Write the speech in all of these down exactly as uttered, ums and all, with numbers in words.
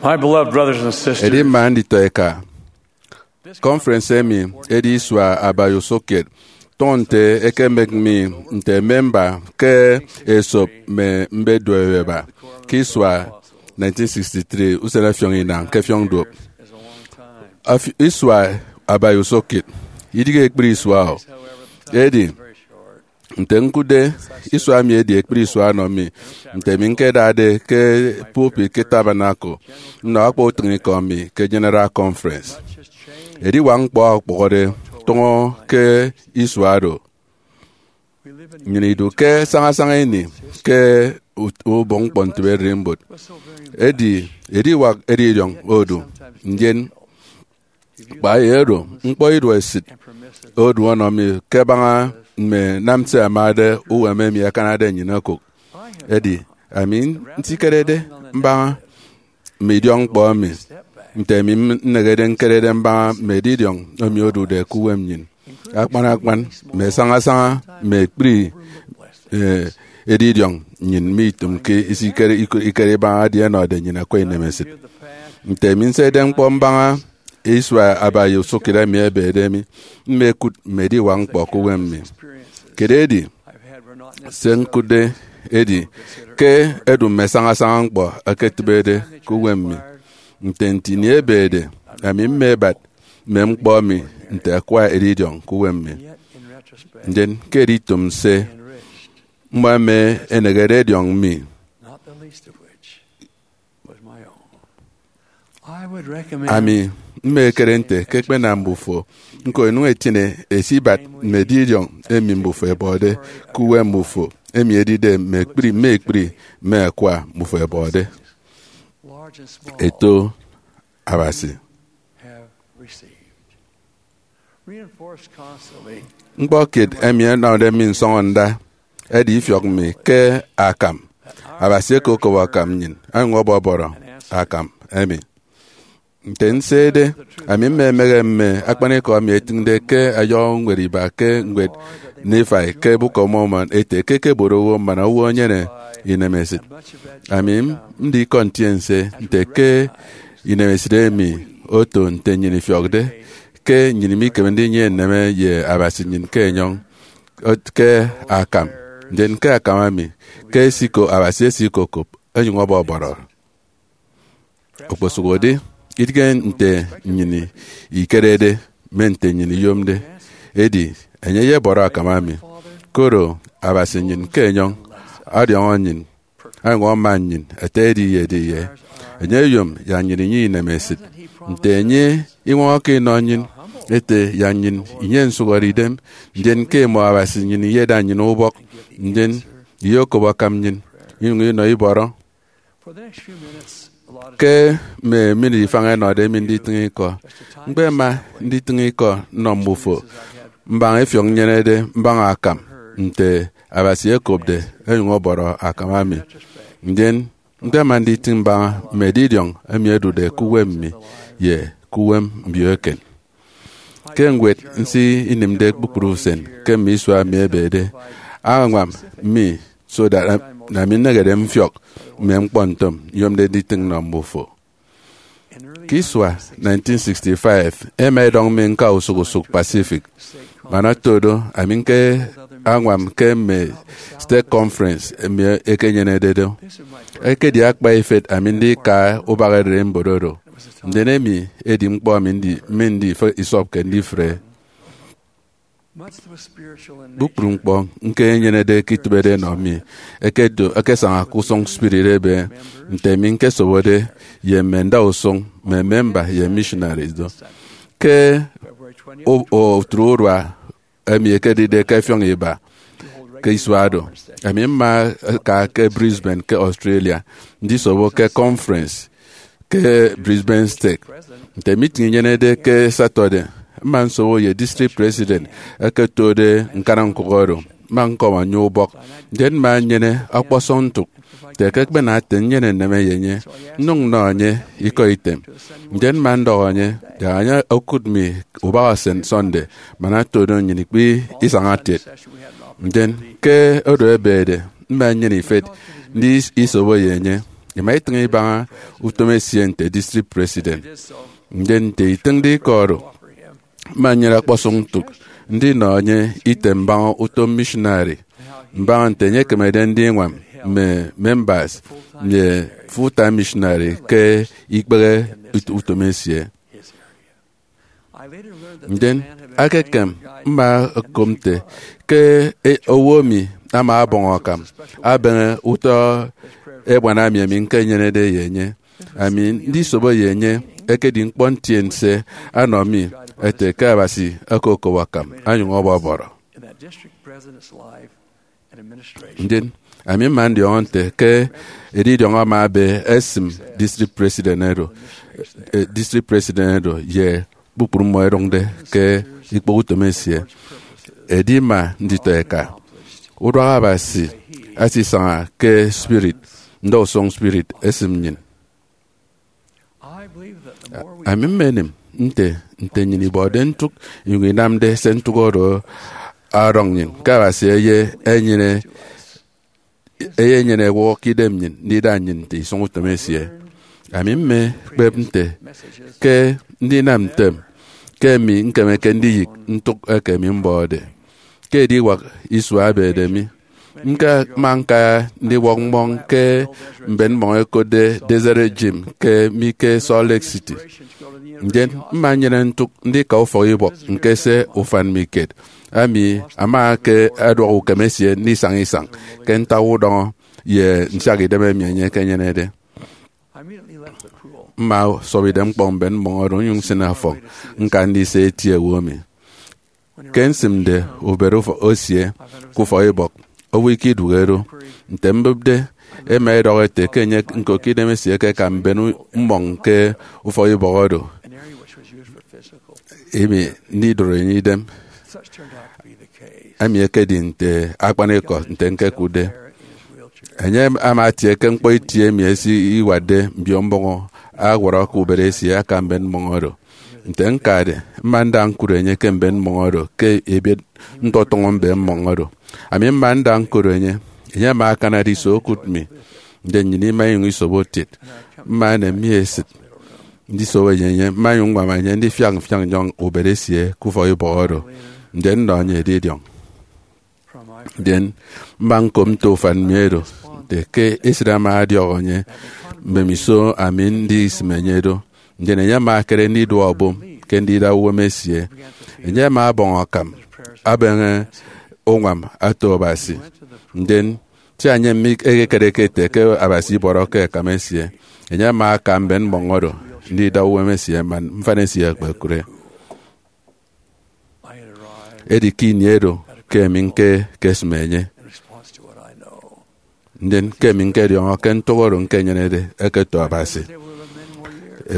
My beloved brothers and sisters, edi mma nditọ eka, conference emi edi isua abai usụkkiet. Tụñọ nte ekemek mi nte memba ke esop mme mbeduoieba ke isua nineteen sixty-three, usen ọfiọñ inañ ke fiọñ duop. Afi- isua abai usụkkiet idighe ekpri isua o. Edi, nte ñkụtde, isua mi edi ekpri isua ọnọ mi, nte mi ñkedade ke pulpit ke Tabernacle nnọ akpa utịñikọ mi ke General Conference. Ediwak ñkpọ okpụhọde tụñọ ke isua do. Nnyịn idu ke sañasaña ini ke ut- ubọk ñkpọ ntịbe ererimbot. Edi ediwak edidiọñ odu, ndien kpa ye oro, ñkpọ iduọ esịt odu ọnọ mi ke baña mme nam se amade uwem emi akanade nnyịn okụk. Edi, ami nsikerede mbaña mme idiọk ñkpọ emi, nte ami nnehede ñkerede mbaña mme edidiọñ emi odude ke uwem nnyịn, akpan akpan mme sañasaña mme ekpri, eh, edidiọñ nnyịn mi itụmke isikere ikọ- ikere ibaña edi ẹnọde nnyịn akwa inemesịt. Nte ami nsede ñkpọ mbaña isua abai usụkkiet emi ebede mi, mmekụt mme ediwak ñkpọ ke uwem mi. Kere edi, se ñkụtde edi ke edu mme sañasaña ñkpọ ẹketịbede ke uwem mi. Nte nte ini ebede, ami mmebat mme ñkpọ emi nte akwa edidiọñ ke uwem mi. Ndien ke editụm se, mmọ ẹma ẹnehede edidiọñ mi. Ami mmekere nte ke ẹkpenam mbufo ñko ẹnyụñ ẹtiene ẹsibat mme edidiọñ emi mbufo ẹbọde ke uwem mbufo, emi edide mme ekpri mme ekpri mme akwa mbufo ẹbọde. Eto Abasi. Ñkpọ kiet emi ẹnọde mi nsọñọ nda edi ifiọk mi ke akam. Abasi eke okop akam nnyịn, onyụñ ọbọbọrọ akam emi. Nte nsede, ami mmemehe mme akpanikọ emi etịñde ke ayọhọ ñwed iba ke ñwed Nifai ke Book of Mormon ete ke ẹkeboro owo man owo enyene inemesịt. Ami ndi ikọ ntiense nte ke inemesịt emi oto nte nnyịn ifiọkde, ke nnyịn mikeme ndinyene nneme ye Abasi nnyịn ke enyọñ, ot- ke akam, ndien ke akam emi, ke esikop Abasi esikokop, onyụñ ọbọbọrọ. Okposụkedi, idịghe nte nnyịn ikerede, mme nte nnyịn iyomde, edi, enye eyebọrọ akam emi, koro Abasi nnyịn ke enyọñ ọdiọñọ nnyịn, onyụñ ama nnyịn ete ediye ediye. Enye oyom yak nnyịn inyene inemesịt. Nte enye iñwọñọke inọ nnyịn, ete yak nnyịn inyene nsụhọre idem, ndien ke imọ Abasi nnyịn iyeda nnyịn ubọk, ndien iyokop akam nnyịn, inyụñ inọ ibọrọ. Ke mme minit ifañ ẹnọde mi nditịñ ikọ, ñkpema nditịñ ikọ nnọ mbufo mbaña ifiọk nnyenede mbaña akam nte Abasi ekopde onyụñ ọbọrọ akam ami. Ndien ñkpema nditịñ mbaña mme edidiọñ emi ẹdude ke uwem mi ye ke uwem mbio eken. Ke ñwed nse inịmde kpukpru usen ke mme isua emi ebede, añwam mi so that, na mi nnehede mfiọk mme ñkpọ ntom nyomde nditịñ nnọ mbufo. Ke isua nineteen sixty-five, ẹma ẹdọñ mi ñka usụk usụk Pacific. Man oto do, ami ñke añwam ke mme stake conference emi ẹkenyenede do. Ekedi akpa ifet ami ndika ubak ererimbot oro. Ndien emi edi ñkpọ emi ndi- mi ndi isọpke ndifre. Kpukpru ñkpọ ñkenyenede ke itịbede enọ mi ẹkedo ẹkesaña ke usụñ spirit ebe, nte mi ñkesobode ye mme ndausụñ, mme memba ye missionaries do. Ke o- o- otu urua emi ekedide ke ẹfiọñ iba ke isua do, ami mma aka ke Brisbane ke Australia ndisobo ke conference ke Brisbane Stake. Nte meeting inyenede ke Saturday, mma nsobo ye district president eke otode ñkana ñkụk oro. Mma ñkọñọ enye ubọk, ndien mma nnyene ọkpọsọñ ntụk nte ke ẹkpena ete nnyene nneme ye enye, nnyụñ nnọ enye ikọ item. Ndien mma ndọhọ enye yak enye okụt mi ubak usen Sunday, man oto do nnyịn ikpe isaña kiet. Ndien ke oro ebede, mma nnyene ifet ndisobo ye enye. Ima itịñ ibaña utom esie nte district president. Ndien nte itịñde ikọ oro, mma nnyene ọkpọsọñ ntụk ndinọ enye item mbaña utom missionary, mbaña nte enye ekemede ndiñwam mme members ye full-time missionary ke ikpehe ut-, utom esie. Ndien, ekem, mma ñkop nte ke e-, owo emi ama ọbọñ akam abeñe utọ ebuana emi, emi ñkenyenede ye enye. Ami ndisobo ye enye ekedi ñkpọ ntiense anọ mi, ete ke Abasi okokop akam onyụñ ọbọbọrọ. Ndien, ami mma ndiọñọ nte ke edidiọñ ama ebe esịm district president oro, eh, district president oro ye kpukpru mmọ ẹdụñde ke ikpọ utom esie. Edi mma nditọ eka, uduak Abasi asisaña ke spirit, ndausụñ spirit esịm nnyịn. Ami mmenem nte, nte nnyịn ibọde ntụk inyụñ inamde se ntụk oro ọdọñ nnyịn, ke Abasi eye enyene, eye enyene ewọhọ ke idem nnyịn ndida nnyịn nte isụñutom esie. Ami mmekpep nte ke ndinam ntem ke emi ñkemeke ndiyịk ntụk eke mi mbọde. Ke ediwak isua ebede mi, ñka, mma ñka ndiwọk mmọñ ke mben mmọñ ẹkotde Deseret Gym ke mi ke Salt Lake City. Ndien mma nnyene ntụk ndika ufọkibọk ñkese ufan mi kiet. Ami ama ke ẹduọk ukem esie ndisaña isañ ke ntak udọñọ ye nsiak idem emi enye ekenyenede. Mma sọp idem ñkpọ mben mmọñ oro nnyụñ nsịn ọfọñ ñka ndise eti owo emi. Ke nsịmde ubet ufọ-, esie ke ufọkibọk, owo ikidụhe do. Nte mbụpde, ẹma ẹdọhọ ẹte ke enye ñko ke idem esie ekeka mben u-, mmọñ ke ufọkibọk oro, emi ndidoro enye idem. Emi ekedi nte akpanikọ nte ñkekụtde. Enye ama atie ke ñkpọ itie emi esiwatde mbio mbọñọ awọrọ ke ubet esie aka mben mmọñ oro. Nte ñkade, mma nda ñkụt enye ke mben mmọñ oro ke ebiet ntọtọñọ mben mmọñ oro. Ami mma nda ñkụt enye, enye ama akanade iso okụt mi, ndien nnyịn ima inyụñ isobo kiet. Mma enem mi esịt ndisobo ye enye, mma nyụñ ññwam enye ndifiak mfiak nnyọñ ubet esie ke ufọkibọk oro, ndien nnọ enye edidiọñ. Ndien mma ñkop nto ufan mi oro, nte ke esịt ama ọdiọk enye mbemiso ami ndisịm enye do. Ndien enye ama ekere ndiduọ obom ke ndida uwem esie. Enye ama ọbọñ akam, abeñe uñwam ato Abasi. Ndien, sia enye mikekereke ete ke Abasi ibọrọke akam esie, enye ama aka mben mmọñ oro ndida uwem esie man mfan esie ekpekụre. Edi ke ini oro ke emi ñke, ñkesịm enye. Ndien ke emi ñkediọñọ ke ntụk oro ñkenyenede ẹketo Abasi.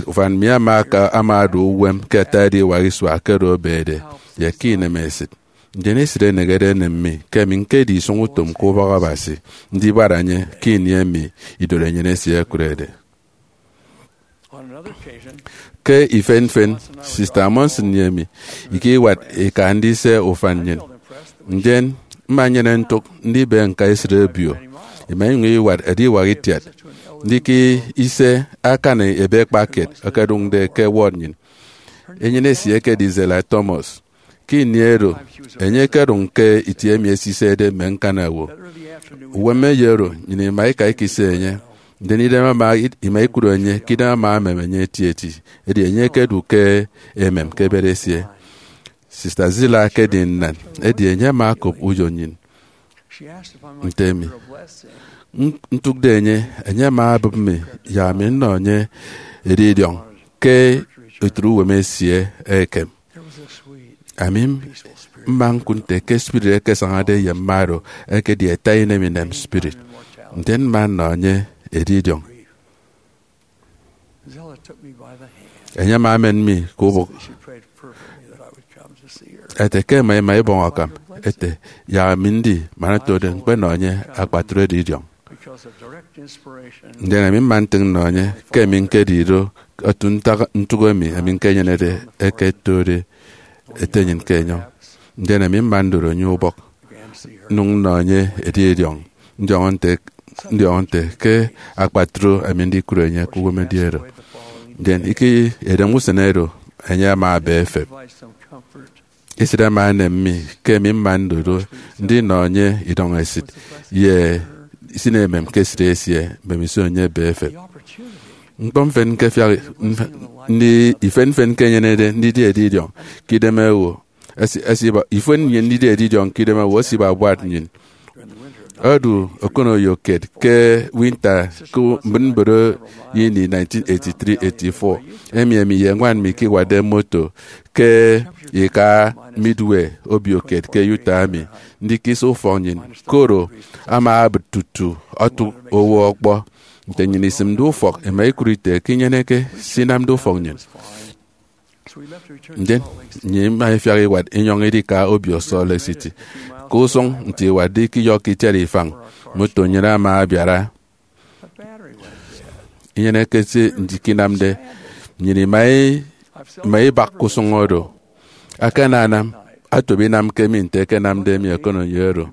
Ufan mi ama aka, ama odu uwem ke ata ediwak isua ke oro ebede ye ke inemesịt. Ndien esịt enehede enem mi ke emi ñkedi isụñutom ke ubọk Abasi, ndibara enye ke ini emi idụt enyịn esie ekụrede. Ke ifen ifen, Sista Monson ye emi ikewat ika ndise ufan nnyịn. Ndien mma nnyene ntụk ndibe ñka esịt obio. Ima inyụñ iwat ediwak itiat ndika ise akan ebe ekpa kiet ẹkedụñde ke ward nnyịn. Enyịn esie ekedi Zella Thomas. Ke ini oro, enye ekedụñ ke itie emi esisede mme ñkana owo. Uwem eyo oro, nnyịn ima ika ikise enye. Ndien idem ama, ima ikụt enye ke idem ama emem enye etieti. Edi enye ekedu ke emem ke bed esie. Sista Zila ekedi nnan, edi enye ama okop uyo nnyịn. Nte emi ntụkde enye, enye ama obụp mi, yak ami nnọ enye edidiọñ ke utịt uwem esie ekem. Ami mma ñkụt nte ke spirit ekesañade ye mma oro ekedi ata inem inem spirit. Ndien mma nnọ enye edidiọñ. Enye ama emen mi ke ubụk ete ke ẹma ẹma ibọñ akam, ete yak ami ndi man otode ñkpenọ enye akpatre edidiọñ. Ndien ami mma ntịñ nnọ enye ke emi ñkedi do, otu ntak ntụk emi, emi ñkenyenede eke ẹtode ete nnyịn ke enyọñ. Ndien ami mma ndoro enye ubọk, nnyụñ nnọ enye edidiọñ, ndiọñọ nte ndiọñọ nte ke akpatre ami ndikụre enye ke uwem edi oro. Ndien ike edem usen oro, enye ama aba efep. Esịt ama enem mi ke emi mma ndodo ndinọ enye idọñ esịt ye isịn emem ke esịt esie mbemiso enye ebe efep. Ñkpọ mfen ke fiak mf- ndi ifen mfen ke enyenede ndidi edidiọñ ke idem owo esi- esiba ifen nnyịn ndidi edidiọñ ke idem owo esiba buat nnyịn. Odu okonoyo kiet ke winta ke mbịtmbịt ini nineteen eighty-three eighty-four, emi emi ye ñwan mi ke iwatde moto ke ika Midway obio kiet ke Utah emi ndikisi ufọk nnyịn, koro ama abịt tutu ọtụk owo ọkpọ. Nte nnyịn isịmde ufọk, ẹma ẹkụt ete ke inyeneke se inamde ufọk nnyịn. Ndien nnyịn ima ifiak iwat inyọñ idika obio Salt Lake City. Ke usụñ nte iwatde ikiyọkke itiat ifañ, moto nnyịn ama abiara. Inyeneke se ndikinamde, nnyịn ima i- ima ibak ke usụñ oro. Akananam atobi inam ke mi nte ẹkenamde mi okonoyo oro.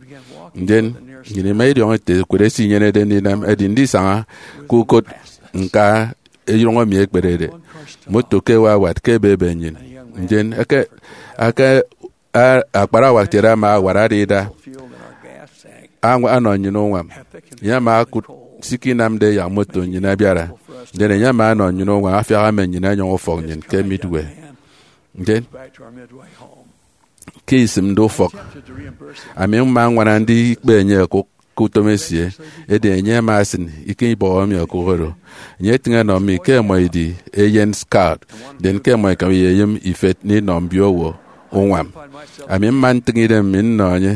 Ndien nnyịn ima idiọñọ ete ekwere se inyenede ndinam edi ndisaña ke ukot ñka erọñ emi ekperede. Moto ke ewawat ke ebebe nnyịn. Ndien eke eke a- akparawa kiet ama awat ada ida añwa- anọ nnyịn uñwam. Enye ama akụt se ikinamde yak moto nnyịn abiara. Ndien enye ama anọ nnyịn uñwam afiak ama nnyịn enyọñ ufọk nnyịn ke Midway. Ndien ke isịmde ufọk, ami mma ññwana ndikpe enye okụk ke utom esie, edi enye ama asịn ike ibọhọ mi okụk oro. Enye etịñ enọ mi ke ẹmọ idi eyen scout, ndien ke ẹmọ ẹkam eyeyịm ifet ndinọ mbiowo uñwam. Ami mma ntịñ idem mi nnọ enye,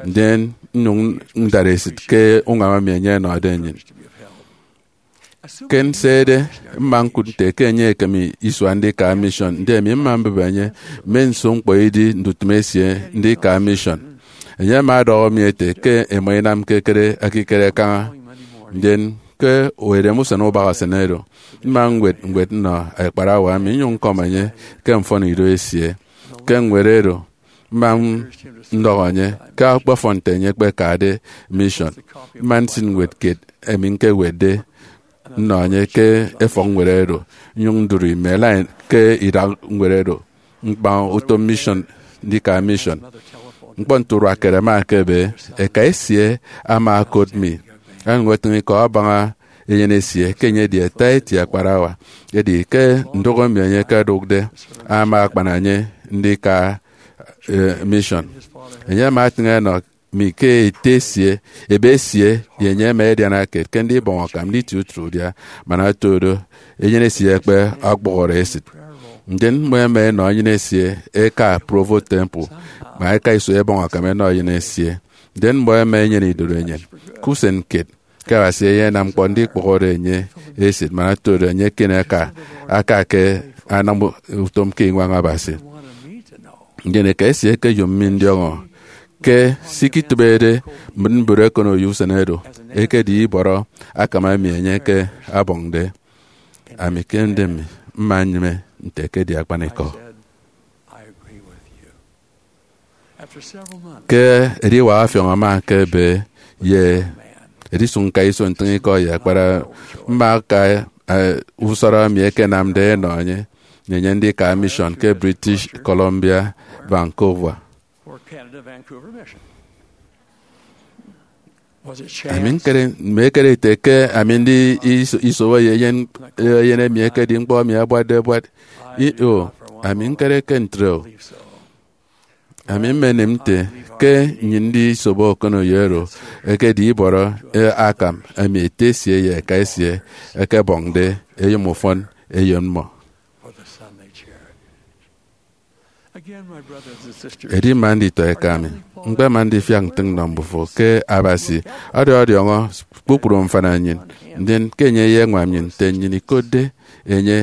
ndien nnyụñ ndara esịt ke uñwam emi enye ọnọde nnyịn. Ke nsede, mma ñkụt nte ke enye ekem isua ndika mission, ndien emi mma mbịbe enye mme nso ñkpọ idi ndutịm esie ndika mission. Enye ama ọdọhọ mi ete ke ẹma ẹnamke ekere ekikere kaña. Ndien ke edem usen ubak usen oro, mma ñwet ñwet nnọ akparawa mi nnyụñ ñkọm enye ke mfọnido esie. Ke ñwed oro, mma ndọhọ enye ke ọkpọfọn nte enye ekpekade mission. Mma nsịn ñwed kiet emi ñkewetde nnọ enye ke efọk ñwed oro, nnyụñ ndụri mme line ke idak ñwed oro ñkpañ utom mission, ndika mission. Ñkpọ nte urua kiet ama ekebe, eka esie ama okot mi, onyụñ etịñ ikọ abaña eyen esie ke enye edi ata eti akparawa. Edi ke ndụk emi enye ekedụkde, ama akpana enye ndika eh, mission. Enye ama atịñ enọ mi ke ete esie, ebe esie, ye enye ẹma ẹdiana kiet ke ndibọñ akam nditi utịt udia, man oto do, eyen esie ekpe ọkpọhọre esịt. Ndien mmọ ẹma ẹnọ eyen esie ẹka Provo Temple, man ẹka iso ẹbọñ akam ẹnọ eyen esie. Ndien mmọ ẹma ẹnyene idorenyin ke usen kiet ke Abasi eyenam ñkpọ ndikpọhọre enye esịt, man oto do enye eken aka, aka ke anam utom ke iñwañ Abasi. Ndien eka esie ekeyom mi ndiọñọ ke se ikitịbede mbịtmbịt ekonoyo usen oro ekedi ibọrọ akam emi enye ke abọñde. Ami ke ndịm mi mma nnyịme nte ekedi akpanikọ. Ke ediwak ọfiọñ ama ekebe ye edisụñ ñka iso ntịñ ikọ ye akpara, mma aka eh, usọrọ emi ẹkenamde ẹnọ enye, enye ndika mission ke British Columbia, Vancouver. Ami ñkere, mme ekere ete ke ami ndi iso- isobo ye eyen, eyen emi ekedi ñkpọ emi abuatde abuat. I- o, ami ñkere ke ntre o. Ami mmenịm nte ke nnyịn ndisobo okonoyo oro ekedi ibọrọ eh, akam emi ete esie ye eka esie ẹkebọñde eyom ufọn eyen mmọ. Edi mma nditọ eka mi, ñkpema ndifiak ntịñ nnọ mbufo ke Abasi ọdọdiọñọ kpukpru mfana nnyịn, ndien ke enye eyeñwam nnyịn nte nnyịn ikotde enye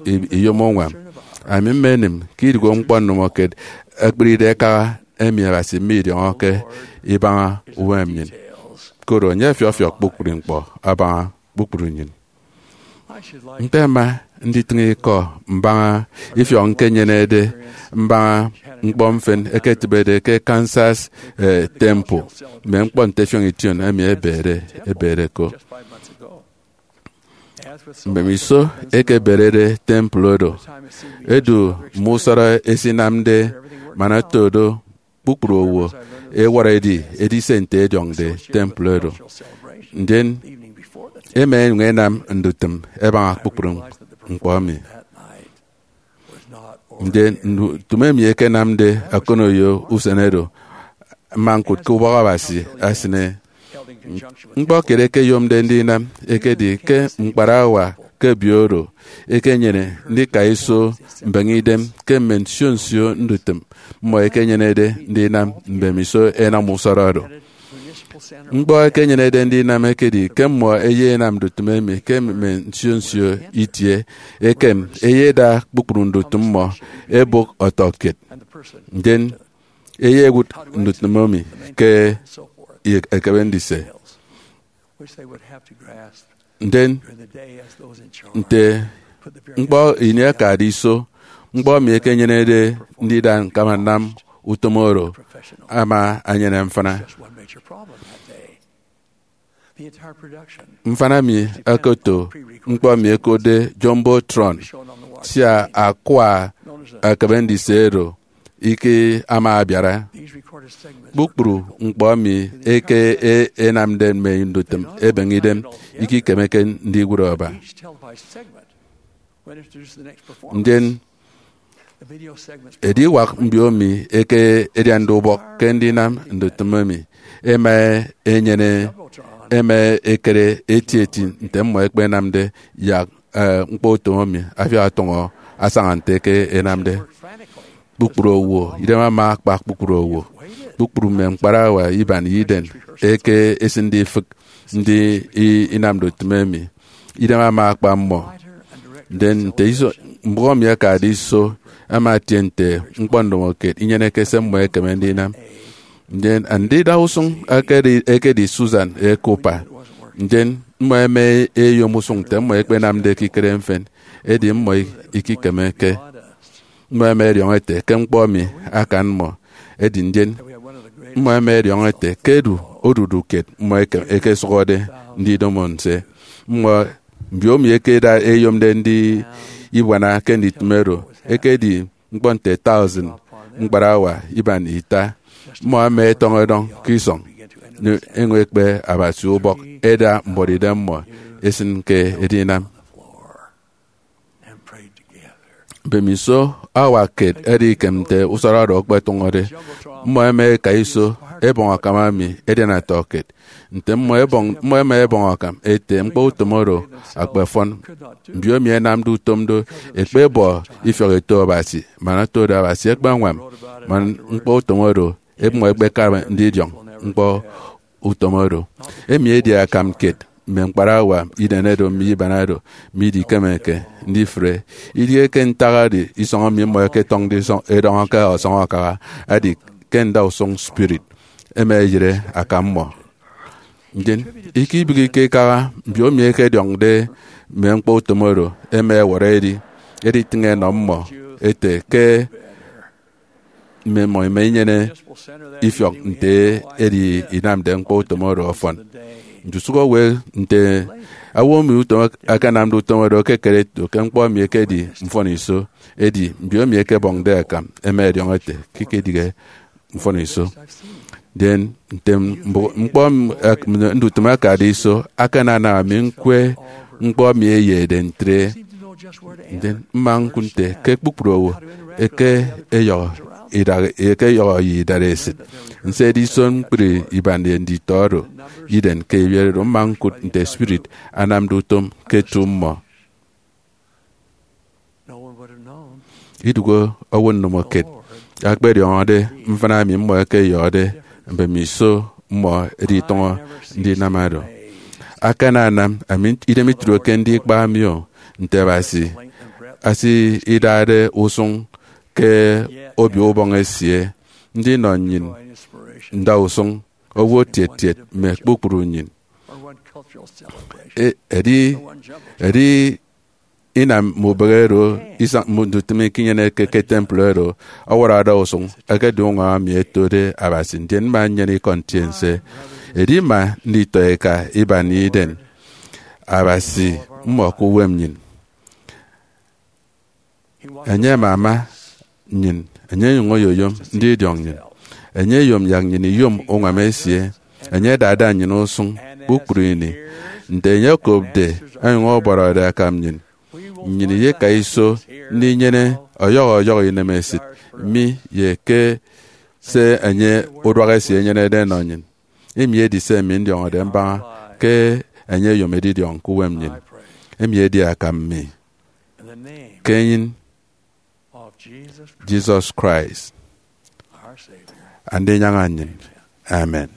i- iyom uñwam. Ami mmenịm ke idụhe ñkpọ nnụmọkiet ekpịride ẹkaha emi Abasi midiọñọke ibaña uwem nnyịn, koro enye ọfiọfiọk kpukpru ñkpọ abaña kpukpru nnyịn. Ñkpema nditịñ ikọ mbaña ifiọk ñkenyenede mbaña ñkpọ mfịn ẹketịbede ke Kansas, eh, Temple, mme ñkpọ nte ẹfiọñ ition emi ẹbede ẹbede ko. Mbemiso ẹkeberede temple oro, edu mme usọrọ ẹsinamde man oto do kpukpru owo ẹwọrọ ẹdi edise nte ẹdiọñde temple oro. Ndien ẹma ẹnyụñ ẹnam ndutịm ẹbaña kpukpru ñkpọ emi. Ndien ndutịm emi ẹkenamde akọnoyo usen oro, mma ñkụt ke ubọk Abasi asịne. Ñkpọ kiet ẹkeyomde ndinam ekedi ke ñkparawa ke obio oro ekenyene ndika iso mbeñe idem ke mme nsio nsio ndutịm mmọ ẹkenyenede ndinam mbemiso ẹnam usọrọ oro. Ñkpọ ẹkenyenede ndinam ekedi ke mmọ ẹyenam ndutịm emi ke mme nsio nsio itie, ekem ẹyeda kpukpru ndutịm mmọ ẹbụk ọtọkiet. Ndien ẹyewụt ndutịm emi ke ekebe ndise. Ndien nte ñkpọ ini akade iso, ñkpọ emi ekenyenede ndida ñkama nnam utom oro ama enyene mfịna. Mfịna mi okoto ñkpọ emi ẹkotde Jumbotron, sia akwa ekebe ndise oro ike ama abiara. Kpukpru ñkpọ emi eke e- enamde mme ndutịm ebeñe idem ikikemeke ndiwụt aba. Ndien ediwak mbio emi eke ediande ubọk ke ndinam ndutịm emi ẹma enyene, ẹma ẹkere eti eti nte mmọ ẹkpenamde yak, eh, ñkpọ utom emi afiak ọtọñọ asaña nte eke enamde. Kpukpru owo, idem ama akpa kpukpru owo. Kpukpru mme ñkparawa iban ye idem eke esịnde ifịk ndi i- inamde utom emi, idem ama akpa mmọ. Ndien nte iso, mbụk emi akade iso ama etie nte ñkpọ ndomokiet inyeneke se mmọ ẹkeme ndinam. Ndien andida usụñ akedi, ekedi Susan Cooper. Ndien mmọ ẹma ẹyom usụñ nte mmọ ẹkpenamde ekikere mfịn, edi mmọ ikikemeke. Mmọ ẹma ẹdiọñọ ẹte ke ñkpọ emi akan mmọ. Edi ndien mmọ ẹma ẹdiọñọ ẹte ke edu odudu kiet mmọ eke- ekesụhọde ndidomo nse. Mmọ, mbio emi ekeda eyomde ndi ibuana ke nditịm oro, ekedi ñkpọ nte thousand ñkparawa iban ita. Mmọ ẹma ẹtọñ ẹdọñ ke isọñ, enyụñ ẹkpe Abasi ubọk, ẹda mbuọtidem mmọ ẹsịn ke edinam. Mbemiso awak kiet ẹdi ikem nte usọrọ oro ọkpọtọñọde. Mmọ ẹma ẹka iso ẹbọñ akam ami ẹdian ọtọkiet. Nte mmọ ẹbọñ, mmọ ẹma ẹbọñ akam ẹte ñkpọ utom oro akpafọn. Mbio emi ẹnamde utom do ẹkpebọ ifiọk ẹto Abasi, man oto do Abasi ekpeñwam man ñkpọ utom oro, mmọ ẹkpekara ndidiọñ ñkpọ utom oro. Emi edi akam kiet mme ñkparawa inenedo mme ibanado midikemeke ndifre. Idighe ke ntak edi isọñ emi mmọ ẹketọñde isọñ edọñọ ke ọsọñ akaha, edi ke ndausụñ spirit ẹma ẹyịre akam mmọ. Ndien, ikibịghike ikaha, mbio emi ẹkediọñde mme ñkpọ utom oro ẹma ẹwọrọ ẹdi, editịñ ẹnọ mmọ ẹte ke mme mmọ ẹma ẹnyene ifiọk nte edi inamde ñkpọ utom oro ọfọn. Ndusụk owo nte owo emi utom akanamde utom oro ekekere eto ke ñkpọ emi ekedi mfọniso, edi mbio emi ẹkebọñde akam ẹma ẹdiọñọ ẹte ke ikedịghe mfọniso. Ndien nte mbo- ñkpọ m- ak- ndutịm akade iso, akananam ami ñkwe ñkpọ emi eyede ntre. Ndien mma ñkụt nte ke kpukpru owo eke eyọhọ idaha, eke eyọhọ ye idaresit. Nse edisọn ñkpri iban ye nditọ oro iden ke ebiet oro, mma ñkụt nte spirit anamde utom ke etu mmọ. Idụhe owo ndomokiet akpediọñọde mfịna emi mmọ ẹkeyọhọde mbemiso mmọ ẹditọñọ ndinam oro. Akananam ami idem itudokke ndikpa mi o, nte Abasi esidade usụñ ke Obio Ubọñ esie ndinọ nnyịn ndausụñ owo tiet tiet mme kpukpru nnyịn. E- edi edi inam mme ubịghi oro isañ mme ndutịm ikinyeneke ke temple oro ọwọrọ ada usụñ, ekedi uñwam emi etode Abasi, ndien mma nnyene ikọ ntiense. Edi mma nditọ eka iban iden Abasi mmọ ke uwem nnyịn. Enye amama nnyịn, enye enyụñ oyoyom ndidiọñ nnyịn. Enye eyom yak nnyịn iyom uñwam esie. Enye adada nnyịn usụñ kpukpru ini. Nte enye okopde, onyụñ ọbọrọde akam nnyịn, nnyịn iyeka iso ndinyene ọyọhọ ọyọhọ inemesịt mi ye ke se enye uduak esie enyenede enọ nnyịn. Emi edi se mi ndiọñọde mbaña ke enye eyom edidiọñ ke uwem nnyịn. Emi edi akam mi ke enyịn Jesus Christ, Andinyaña nnyịn. Amen.